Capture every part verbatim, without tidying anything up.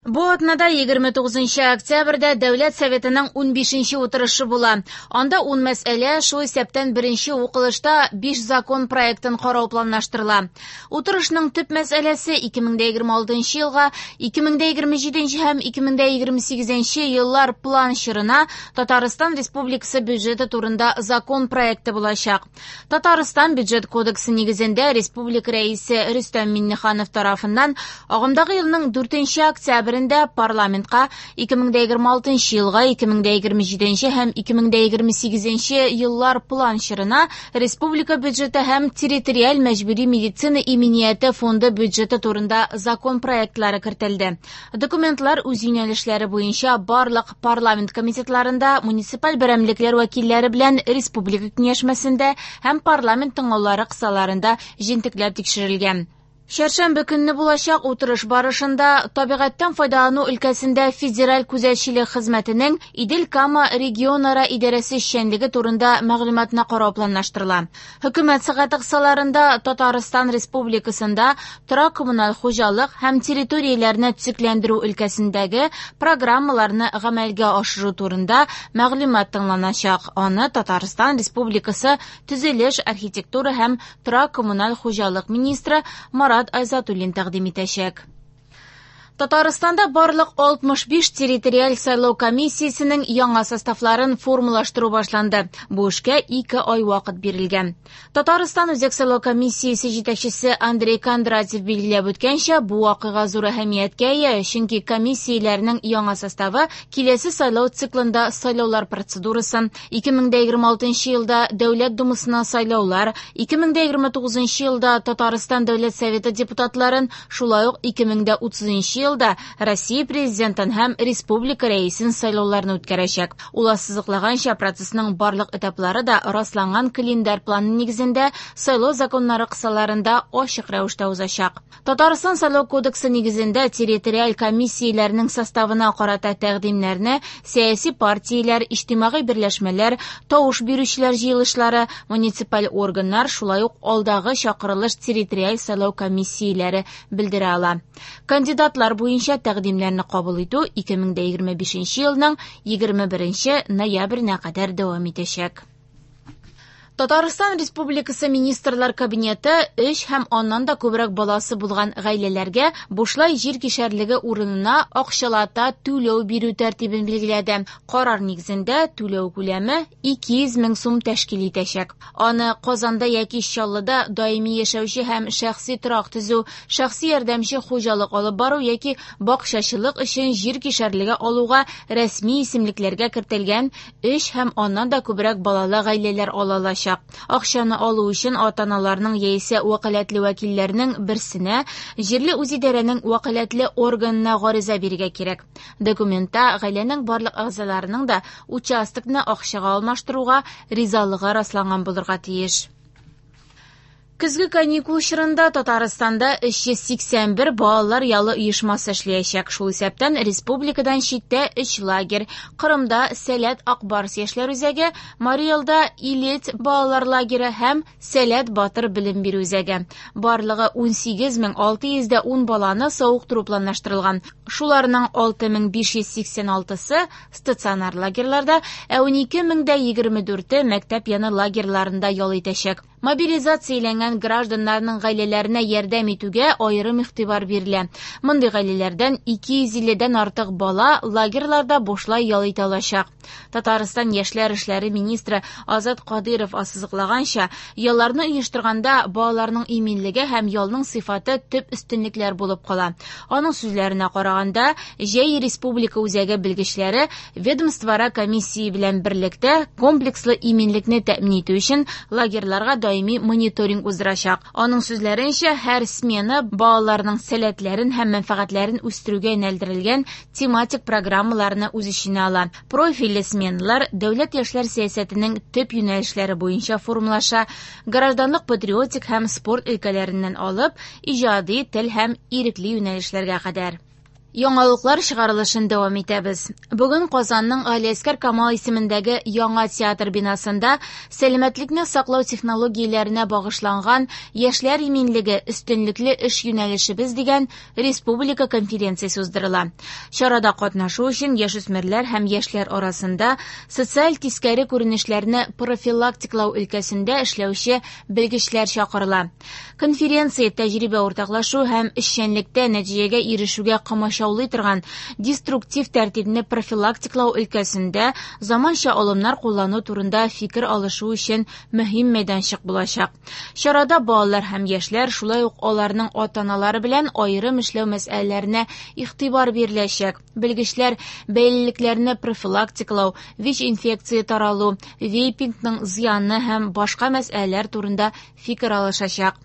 Бу атнада егерме тугызынчы октябрьдә Дәүләт Советының унбишенче утырышы була. Анда ун мәсьәлә, шул исәптән беренче укылышта биш закон проектын карау планлаштырыла. Утырышның төп мәсьәләсе ике мең дә егерме алтынчы елга, ике мең дә егерме җиденче һәм ике мең дә егерме сигезенче еллар план чорына Татарстан Республикасы бюджеты турында закон проекты булачак. Татарстан бюджет кодексы нигезендә Республика Рәисе Рөстәм Миңнеханов тарафыннан агымдагы елның дүртенче октябрендә парламентка ике мең дә егерме алтынчы елга, ике мең дә егерме җиденче һәм ике мең дә егерме сигезенче еллар план чорына республика бюджеты һәм территориаль мәҗбүри медицина иминияте фонды бюджеты турында закон проектлары кертелде. Документлар үз юнәлешләре буенча барлык парламент комитетларында, муниципаль берәмлекләр вәкилләре белән республика киңәшмәсендә һәм парламент тыңлаулары кысаларында җентекләп тикшерелгән. Чәршәмбе көнне булачак утырыш барышында табигатьтән файдалану өлкәсендә федераль күзәтчелек хезмәтенең Идел-Кама регионара идарәсе эшчәнлеге турында мәгълүматны карау планлаштырыла. Хөкүмәт сәгате кысаларында Татарстан Республикасында торак коммуналь хуҗалык һәм территорияләрне төзекләндерү өлкәсендәге программаларны гамәлгә ашыру турында мәгълүмат тыңланачак. Аны Татарстан Республикасы төзелеш, архитектура һәм торак коммуналь хуҗалык министры Марат Айзатуллин тәкъдим итәчәк. Татарстанда барлык алтмыш биш территориаль сайлау комиссиясенең яңа составларын формалаштыру башланды. Бу эшкә ике ай вакыт бирелгән. Татарстан Үзәк сайлау комиссиясе җитәкчесе Андрей Кондратьев билгеләп үткәнчә, бу вакыйга зур әһәмияткә ия, чөнки комиссияләрнең яңа составы киләсе сайлау циклында сайлаулар процедурасын, ике мең дә егерме алтынчы елда Дәүләт Думасына сайлаулар, ике мең дә егерме тугызынчы елда Татарстан Дәүләт Советы депутатларын, шулай ук ике мең дә утызынчы елда Россия президентын һәм республика рәисен сайлауларны үткәрәчәк. Ул ассызыклаганча, процессның барлык этаплары да расланган календарь планы нигезендә сайлау законнары кысаларында ачык рәвештә узачак. Татарстан сайлау кодексы нигезендә территориаль комиссияләрнең составына карата тәкъдимнәрне сәяси партияләр, иҗтимагый берләшмәләр, тавыш бирүчеләр җыелышлары, муниципаль органнар, шулай ук алдагы чакырылыш территориаль сайлау комиссияләре белдерә ала. Кандидатлар буенча тәкъдимнәрне кабул итү ике мең дә егерме бишенче елның егерме беренче ноябренә кадәр дәвам итәчәк. Татарстан Республикасы Министрлар Кабинеты өч һәм аннан да күбрәк баласы булган гаиләләргә бушлай җир кишәрлеге урынына акчалата түләү бирү тәртибен билгеләде. Карар нигезендә түләү күләме ике йөз мең сум тәшкил итәчәк. Аны Казанда яки Чаллыда даими яшәүче һәм шәхси торак төзү, шәхси ярдәмче хуҗалык алып бару яки бакчачылык өчен җир кишәрлеге алуга рәсми исемлекләргә кертелгән өч һәм аннан да күбрәк балалы гаиләләр ала алачак. Акчаны алу өчен ата-аналарның яисә вәкаләтле вәкилләрнең берсенә җирле үзидарәнең вәкаләтле органына гариза бирергә кирәк. Документта гаиләнең барлык әгъзаларының да участокны акчага алмаштыруга ризалыгы расланган булырга тиеш. Көзге каникул чорында Татарстанда өч йөз сиксән бер балалар ялы оешмасы эшләячәк. Шул исәптән республикадан читтә өч лагерь: Кырымда Сәләт Акбарс яшьләр үзәге, Мариэлда Илет балалар лагере һәм Сәләт Батыр белем бирү үзәге. Барлыгы ун сигез мең алты йөз дә ун баланы савыктыру планлаштырылган. Шуларның алты мең биш йөз сиксән алтысы стационар лагерьларда, ә ун ике мең дә егерме дүрте мәктәп яны лагерьларында ял итәчәк. Мобилизацияләнгән гражданнарның гаиләләренә ярдәм итүгә аерым игътибар бирелә. Мондый гаиләләрдән ике йөз илледән артык бала лагерьларда бушлай ял итә алачак. Татарстан яшьләр эшләре министры Азат Кадыйров ассызыклаганча, ялларны оештырганда балаларның иминлеге һәм ялның сыйфаты төп өстенлекләр булып кала. Аның сүзләренә караганда, Җәй республика үзәге белгечләре ведомствоара комиссия белән берлектә комплекслы иминлекне тәэмин итү өчен лагерьларга даими мониторинг уздырачак. Аның сүзләренчә, һәр смена балаларның сәләтләрен һәм мәнфәгатьләрен үстерүгә юнәлдерелгән тематик программаларны үз эченә ала. Профильле сменалар дәүләт яшьләр сәясәтенең төп юнәлешләре буенча формалаша, гражданлык, патриотик һәм спорт өлкәләреннән алып, иҗади, тел һәм ирекле юнәлешләргә кадәр. Яңалыклар чыгарылышын дәвам итәбез. Бүген Казанның Галиәсгар Камал исемендәге яңа театр бинасында сәламәтлекне саклау технологияләренә багышланган «Яшьләр иминлеге – өстенлекле эш юнәлешебез» дигән республика конференциясе уздырыла. Чарада катнашу өчен яшүсмерләр һәм яшьләр арасында социаль тискәре күренешләрне профилактикалау өлкәсендә эшләүче белгечләр чакырыла. Конференция тәҗрибә уртаклашу һәм эшчәнлектә нәтиҗәгә ирешүгә комачаулый торган деструктив тәртипне профилактикалау өлкәсендә заманча алымнар куллану турында фикер алышу өчен мөһим мәйданчык булачак. Чарада балалар һәм яшьләр, шулай ук аларның ата-аналары белән аерым эшләү мәсьәләләренә игътибар биреләчәк. Белгечләр бәйлелекләрне профилактикалау, ВИЧ-инфекция таралу, вейпингның зыяны һәм башка мәсьәләләр турында фикер алышачак.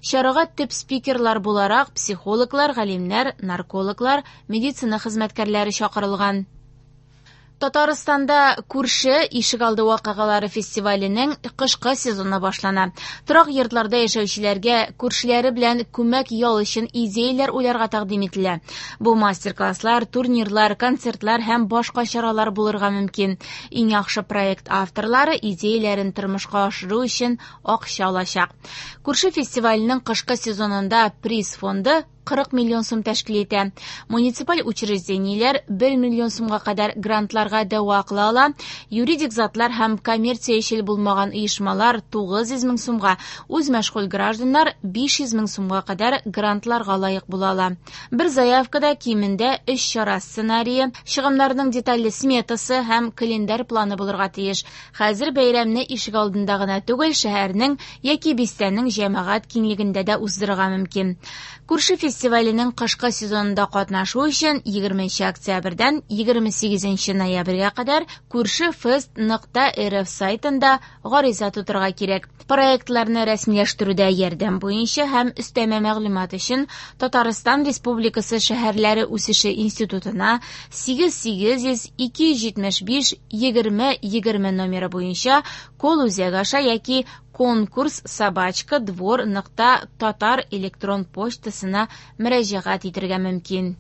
Чарага төп спикерлар буларак психологлар, галимнәр, наркологлар, медицина хезмәткәрләре чакырылган. Татарстанда күрше ишегалды вакыйгалары фестиваленең кышкы сезоны башлана. Торак йортларда яшәүчеләргә күршеләре белән күмәк ял өчен идеяләр уйларга тәкъдим ителә. Бу мастер-класслар, турнирлар, концертлар һәм башка чаралар булырга мөмкин. Иң яхшы проект авторлары идеяләрен тормышка ашыру өчен акча алачак. Күрше фестиваленең кышкы сезонында приз фонды кырык миллион сум тәшкил итә. Муниципаль учреждениеләр бер миллион сумга кадәр грантларга дәва кыла ала. Юридик затлар һәм коммерциячел булмаган оешмалар тугыз йөз мең сумга, үз мәшгуль гражданнар биш йөз мең сумга кадәр грантларга лаек була ала. Бер заявкада кимендә өч чара сценарие, чыгымнарның детальле сметасы һәм календарь планы булырга тиеш. Хәзер бәйрәмне ишегалдында гына түгел, шәһәрнең яки бистәнең җәмәгать киңлегендә дә уздырырга мөмкин. Күрше фестиваленең кышкы сезонында катнашу өчен егерменче октябрьдән егерме сигезенче ноябрьгә кадәр күршефест нокта рф сайтында гариза тутырырга кирәк. Проектларны рәсмиләштерүдә ярдәм буенча һәм өстәмә мәгълүмат өчен Татарстан Республикасы шәһәрләре үсеше институтына сигез сигез йөз ике йөз җитмеш биш егерме егерме номеры буенча кол үзәге аша яки конкурс собачка двор нокта татар электрон почтасына мөрәҗәгать итәргә мөмкин.